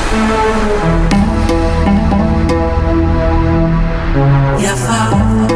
Yafa,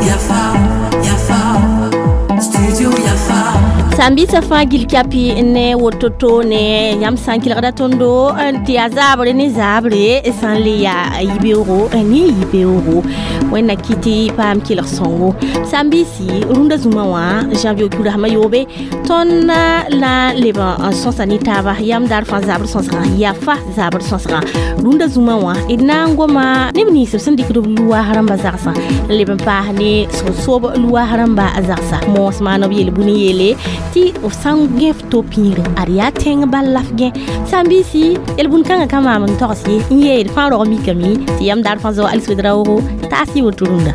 Yafa, Yafa, Studio Yafa. Sãn-biisã fãa gil kapi ne woto-to ne yãmb sã n kelgda tõndo tɩ yaa zaabre ne zaabre sã n le yaa yibeoogo ne yibeoogo wẽnna kɩ tɩ paam kelg sõngo sãn-biisi rũndã zũmã wã janvier kiudrasmã yoobe tõnd na n leb n sõsa ne taaba yam daar fãa zabr sõsgã yafa zabr sõsgã rũndã zũmã wã d na n goma neb nins b sẽn dɩkd b luwaas rãmbã zagsã n leb n paas ne sẽn soob luwaas rãmbã zagsa moos maan b yel-bũn n yeele tɩ f sã n gẽ f to pĩigre ad yaa tẽng bal la f gẽ sãn-biisi yel-bũn kãngã ka maam n togs ye n yeel fãa rog mikame tɩ yam daar fãa zao aliswed-raoogo taas y woto rũndã.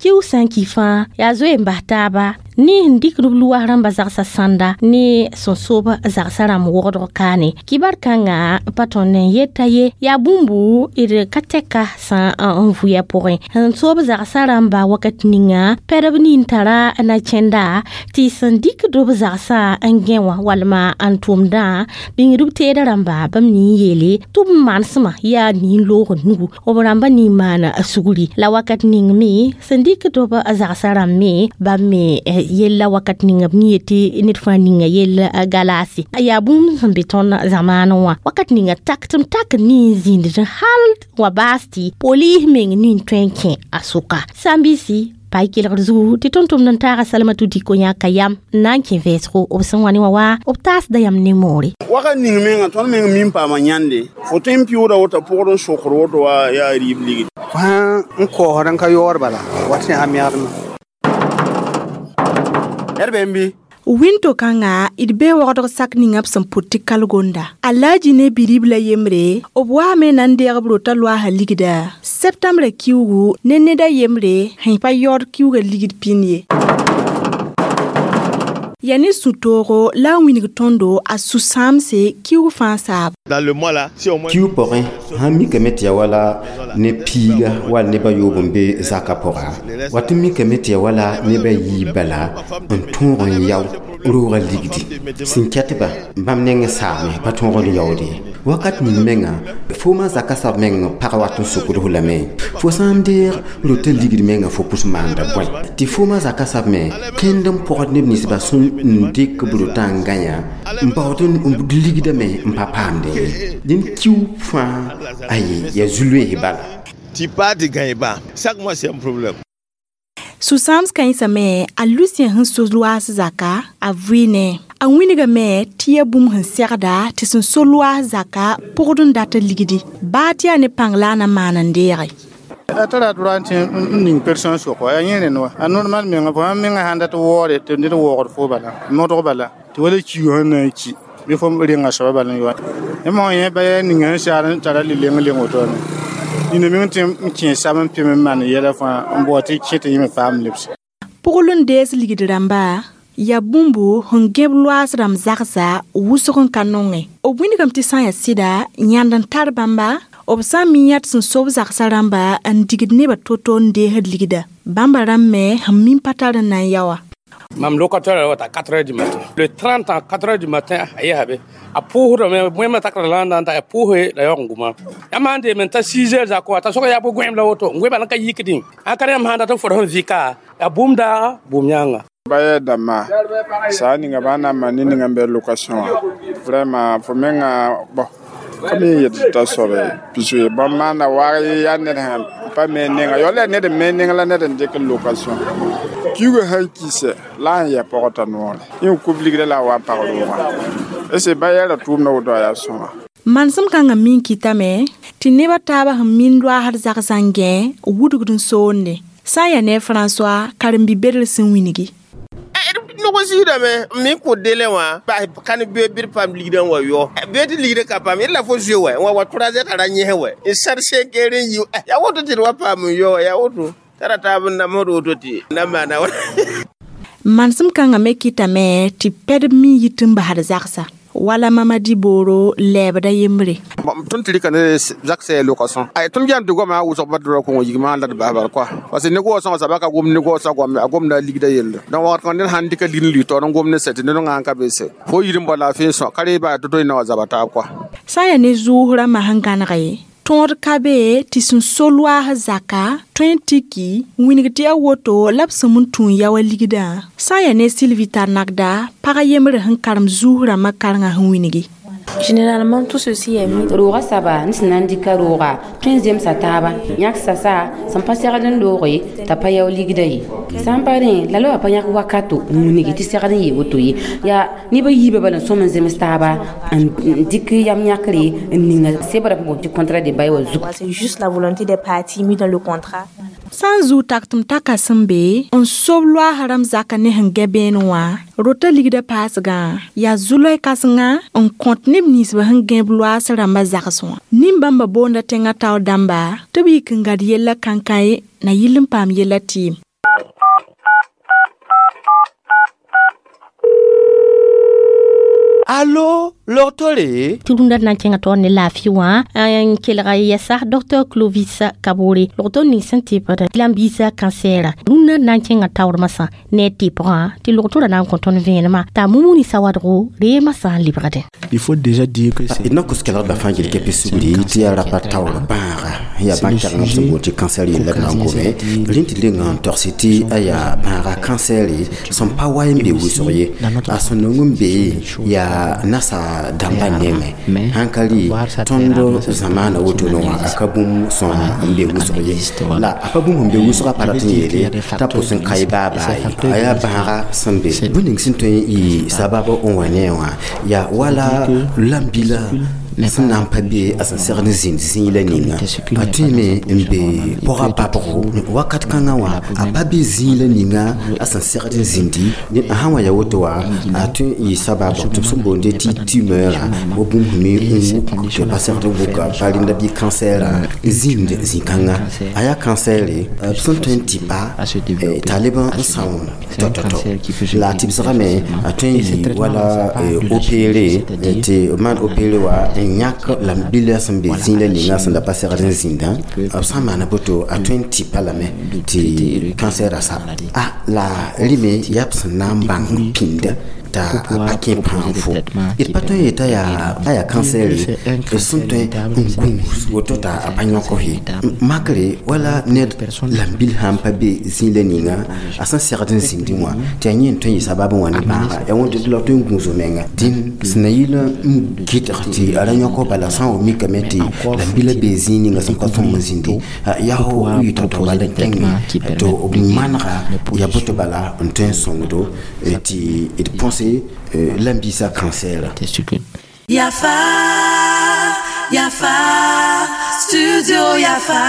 Kiu sã n ki fãa yaa zoe n bas taaba ne sẽn dɩk b luwas rãmbã zagsã sãnda ne sẽn soob zagsã rãmb wogdg kaane kibar kãnga pa tõnd n yeta ye yaa bũmbu d ka tɛka sã n vʋya pʋgẽ sẽn soob zagsã rãmba wakat ninga pɛdb nin tara na kẽnda tɩ sẽn dɩkd b zagsã n gẽ wã walma n tʋmdã bĩngd b teeda rãmba bãmb nin yeele tɩ b manesmã yaa nin-loogd nugu b rãmba nin maana sugri la wakat ning me sẽn dɩkd b zagsã rãmb me bãmb me yella wakat ninga b yetɩ ned fãa ninga yell galaase yaa bũmb sẽn be tõnd zamaanẽ wã wakat ninga tak tɩ m tak nin zĩnd hal wa baas tɩ poliis meng nin tõe n kẽ a sʋka sãn-biisi pa y kelgd zugu tɩ tõnd-tʋmd n taaga Salamatu Diko yãka yam n na n kẽ vɛɛsgo b sẽn wa ne wã wa b taasda yam ne moore. Wakat ning menga tõnd meng min paama yãnde fo tõe n pɩʋʋda woto pʋgd n sokd woto wa yaa rɩɩb ligd fãa n koosd n ka yaood bala wat sẽn yaa megdmã. Airbnb. Winto kãnga d bee wogdg sak ninga b sẽn pʋt tɩ kalgonda alaaji ne bi-ribla yembre b waame na n deeg b rota loaasa ligda septembra kiugu ne ned a yembre sẽn pa yaood kiuga ligd pĩnd ye yaa ne sũ-toogo la a wĩneg tõndo a sũ-sãamse kiug fãa saab. Dans le mois là, si au moins Kiu pʋgẽ sãn mikame tɩ yaa wala ne piiga wall neb a yoob n be zakã pʋga wat n mikame tɩ yaa wala neb a yiib bala n tõog n yao roogã ligdi sẽn kɛtba bãmb neng saame pa tõog n yaood ye wakat ning menga fo ma zaka sab meng pag wat n sokd f lame fo sã n deeg rota ligd menga fo pʋs maanda bõe tɩ fo ma zaka sab me kẽnd n pɔgd neb ninsbã sẽn n dɩk b rotã n gãyã n baood n ligdame n pa paamdẽ ye dẽnd kiu fãa aye yaa zu-loees bala. Tu pars, tu gagnes pas. Chaque mois, c'est un problème. Sũ-sãams kãensã me a Lucien sẽn so loaas zaka a vɩɩne a wĩnigame tɩ yaa bũmb sẽn segda tɩ sẽn so loaas zaka pʋgd n dat ligdi baa tɩ yaa ne pãng la a na maan n deege. A tara droit tɩ n ning personne sʋk wa yaa yẽ rẽnd wa a normal menga fo sãn menga sãn dat waoore tɩ ned waoogd fo bala modg bala tɩ wala kiuug sẽn na n ki bɩ fo renga soaba bala n yoa yãmb sã yẽ ba yaa ninga sẽn saar n tara le-leng leng wotone nina meng tɩ n kẽ sab n pem n maan yɛla fãa n bao tɩ kẽ tɩ yẽ me paam lebse. Pʋgl n dees ligd rãmba yaa bũmbu sẽn gẽb loaas rãmb zagsa wʋsg n ka nongẽ b wĩnigame tɩ sã n yaa sɩda yãnd n tar bãmba b sã n mi yãd sẽn sob zagsã rãmba n digd nebã to-to n deesd ligda bãmba rãmb me sẽn min pa tar n na n yao wã. Mam locataire à 4 h du matin. Le 30 à 4 h du matin, a yabe. A pour me moi ma takra la nda a pour la yo nguma. Ya mande men ta 6 h za ko ta so ya bo gwem la woto. Ngwe ba ka yikdin. A kare ma handa ta for hon vika. Ya bumda bumnyanga. Ba dama sa ninga ba na ma ni ninga be location wa vraiment fo menga bon comme yet ta sobe puisque ba mana wa ya ne ha pa me ninga yo le ne de me ninga la ne de de location kiuga han kise la ya pɔgɔta noore yẽ kub ligda la wa pag roogã ese ba yɛla tʋʋm na woto a yaa sõma. Manesem kãngã min kɩtame tɩ nebã taabã sẽn min loaasd zagsã n gẽ wudgd n soonde sã n yaa ne François karen-bi-bedr sẽn wĩngi. Nog n zɩɩdame n me kʋ délai wã bas kan be bɩ paam ligdã n wa yao bee tɩ ligdã ka paam yẽd la fo zoe wɛ n wa wa 3 heures tara yẽs wɛ n sãd 5 heures n yi yaa woto tɩ d wa paam n yao yaa woto tara taab n namsd woto tɩ na maana wa. Manesem kãngã me kɩtame tɩ pɛdb min yit n basd zagsa Wala Mamadi Boro lɛɛbda yembre. Tõnd tɩ rɩka ne zak sɛ lokason ay tõnd yãnd tɩ goama a wʋsg pa dʋra kõngo yigmã la d bas bal kɔa parce que ne goosã wã sabaka gom ne goosã goam a gomda a ligda yelle donc wakat kãngã ned sãn dɩka ligd n lʋɩ taoor n gom ne sɛ tɩ ned wã n ka be sɛ fo yir n bao laafɩ n sõ ka ree baa tɩ tõe n na wa zaba taab kɔa. Sã n yaa ne zʋʋs rãmbã sẽn gãnege tõod ka be tɩ sẽn so loaas zaka tõe n tiki wĩneg tɩ yaa woto la b sẽm n tũ n ya wa ligdã sã n yaa ne Sylvie Tarnagda pag yembre sẽn karem zuus rãmbã karengã sẽn wĩngi. Généralement, tout ceci est mis. Roga saba n sẽn na n dɩka rooga tõe n zemsa taaba yãk sasa sẽn pa segd n looge t'a pa yao ligda ye sã n pa rẽ la la wa pa yãk wakato n wilgi tɩ segd n yee woto ye yaa neb a yiibã bala n sõm n zems taaba n dɩk yam yãkre n ninga sebra p boond tɩ contrat de bail wã zugu. C'est juste la volonté des parties mise dans le contrat. Sã n zʋʋ taktem taka sẽn be n sob loaas rãmb zaka ne sẽn gɛ bẽen wã rota ligda paasgã yaa zu-loe kãsenga n kõt neb ninsbã sẽn gẽb loaas rãmbã zags wã nin-bãmba boonda tẽngã taoor dãmba tɩ b yik n gad yella kãnkãe na yɩl n paam yella tɩɩm. Allo, logtore? Tɩ rũndã na n kẽngã taoor ne laafɩ wã n kelga yɛsa Dr Clovis Kabore logto ning sẽn tɩpd lambiisã kansɛɛra rũndã na n kẽngã taoor masã ne a tɩpgã tɩ logtorã na n kõ tõnd vẽenemã t'a mumuni sawadgo reemã sã n lebgdẽ. Il faut déjà dire que c'est d na kos kelgdbã fãa yel kɛpɩ sugri tɩ yaa rapa taoor bãaga yaa bãn-kɛgengã b sẽn boond tɩ kansɛr yella d na n gome rẽnd tɩ lenga n togse tɩ a yaa bãaga kansɛre sẽn pa wa n be wʋsg ye a sẽn nong n be yaa nasa dãmba nengẽ sãn ka rɩ tõnd zamaana wotone wã a ka bũmb sõn n be wʋsg ye la a pa bũmb sẽn be wʋsgã pa rat n yeele t'a pʋs n ka y baabaa ye a yaa bãaga sẽn be bũmb ning sẽn tõe n yɩ sabab n wa ne wã yaa wala lambila sẽn na n pa be a sẽn segd n zĩnd zĩig la ninga a tõeme n be pʋga babgo wakat kãngã wã a pa be zĩig la ninga a sẽn segd n zĩndi a sã n wa ya woto wã a tõe n yɩ sabab tɩ b sẽn boonde tɩ tumeur wa bũmb sẽn me n wuk tɩ pa segd n wuka pa rẽnda bɩ kansɛɛrã zĩnd zĩ-kãnga a yaa kansɛɛre b sẽn tõe n tɩpa t'a leb n sãoon tɔ-tɔ-tɔ la a tɩbsgame a tõe n yɩ wala opéré tɩ b maan opéré wa n yãk lambila sẽn be zĩig la ninga sẽn da pa segd n zĩndã b sã n maana boto a tõe n tɩpa lame tɩ kansɛɛrã sa a la rɩme yaa b sẽn na n bãng pĩnda t'a pa kẽ pãag fo d pa tõe n yeta yaa a yaa kansɛɛre d sẽn tõe n gũus woto t'a a pa yõk f ye makre wala ned lambil sã n pa be zĩig la ninga a sẽn segd n zĩndẽ wã tɩ yaa yẽ n tõe n yɩ sabab n wa ne bãaga yaa wẽn tɩ la tõe n gũus menga dĩn sẽn na yɩl n gɩdg tɩ a ra yõk bala sã n wa mikame tɩ lambila be zĩig ninga sẽn pa sõm n zĩndi yaa fo yɩ tao-tao bala kẽngme tɩ b manega yaa boto bala n tõe n sõngdo tɩ d põse lambisa cancer. Yafa, Yafa, Studio Yafa.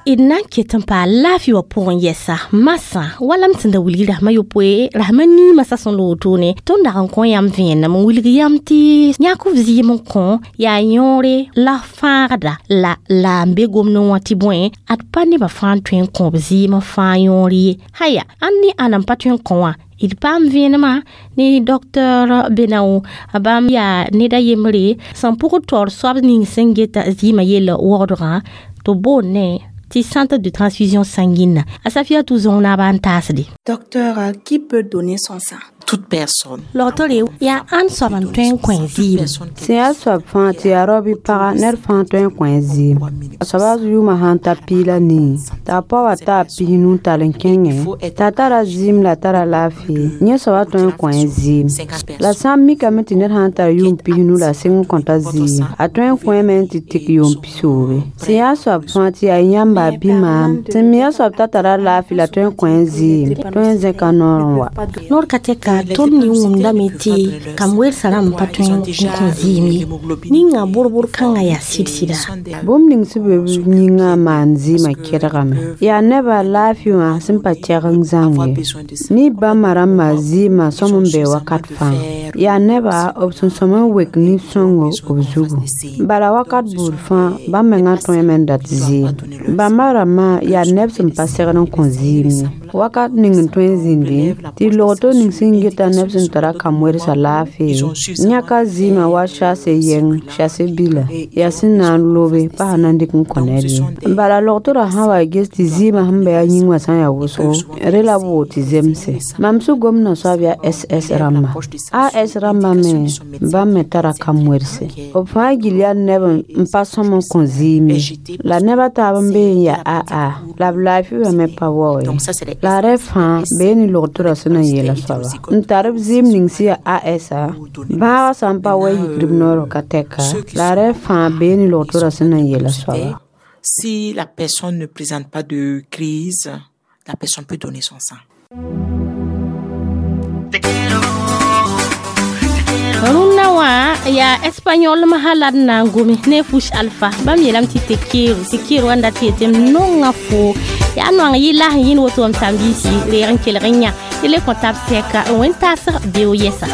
D na n ket n paa laafɩ wã pʋgẽ yɛsa masã wala m sẽn da wilg rasmã yopoe rasmã niimã sa sẽn loog toone tõnd dag n kõ yãmb vẽenem n wilg yãmb tɩ yãk f zɩɩm n kõ yaa yõore la fãagda la la n be gomdẽ wã tɩ bõe ad pa nebã fãa n tõe n kõ b zɩɩm n fãa yõor ye haya ãnd ne ãna n pa tõe n kõ wã d paam vẽenemã ne docteur Benao bãmb yaa ned a yembre sẽn pʋgd taoor soab ning sẽn geta zɩɩmã yella wogdgã tɩ b boond ti centre de transfusion sanguine a Safia Touzon na ban taasde. Docteur, qui peut donner son sang? Toute personne. Logtore yaa ãn soab n tõe n kõ zɩɩm. Sẽn yaa soab fãa tɩ yaa rao bɩ paga ned fãa tõe n kõ zɩɩm. A soaba yʋʋmã sãn ta piig la nii t'a a pa wa ta a pisnu n tall n kẽngẽ t'a tara zɩɩm la tara laafɩ yẽ soaba tõe n kõ zɩɩm. La sã n mikame tɩ ned sã n tar yʋʋm pisnu la sɩng n kõta zɩɩm a tõe n kõeme n tɩ tɩk yʋʋm pisoobe. Sẽn yaa soab fãa tɩ yaa yãmba bɩ maam sẽn mi yaa soab t'a tara laafɩ la tõe n kõ zɩɩm tõe n zẽka noor n wa. Noor ka tɛka tõnd ne wʋmdame tɩ kam weersã rãmb pa tõe n kõ zɩɩm ye ninga bʋr-bʋr kãngã yaa sɩd-sɩda. Bũmb ning sẽn be b yĩngã n maan zɩɩmã kɛdgame yaa nebã laafɩ wã sẽn pa tɛg n zãng ye mi bãmba rãmbã zɩɩmã sõm n be wakat fãa yaa nebã b sẽn sõm n wek nin-sõngo b zugu bala wakat buud fãa bãmb mengã tõeme n dat zɩɩm bãmba rãmbã yaa neb sẽn pa segd n kõ zɩɩm ye. Wakat ning n tõe n zĩndi tɩ log-to ning sẽn geta neb sẽn tara kam-wɛdsã laafɩ yãka zɩɩmã wa shase yɛng shase bila yaa sẽn na n lobe pa sã na n dɩk n kõ ned ye. Bala log-torã sã wa ges tɩ zɩɩmã sẽn be a yĩng wã sã n yaa wʋsgo re la b woog tɩ zemse. Mam sẽn gomdã soab yaa SS rãmba, AS rãmbã me bãmb me tara kam-wɛdse. B fãa gill yaa neb n pa sõm n kõ zɩɩm ye. La neb a taab n bee n yaa AA la b laafɩ wã me pa wao ye. La rẽ fãa bee ne log-torã sẽn na n yeela soaba n tar b zɩɩm ning sẽn yaa AS-a bãagã sã n pa wa yikr b noorã ka tɛka la rẽ fãa bee ne log-torã sẽn na n yeela soaba. Si la personne ne présente pas de crise, la personne peut donner son sang. Rũnnã wã yaa espagnol masã la d na n gome ne fush alpha. Bãmb yeelame tɩ te quiero, te quiero wãnda tɩ yetɩ m nonga fo yaa noang yɩ las n yĩnd woto m sãn-biisi reeg n kelg n yã tɩ le kõ tab sɛka n wẽn taasg beo yɛsa.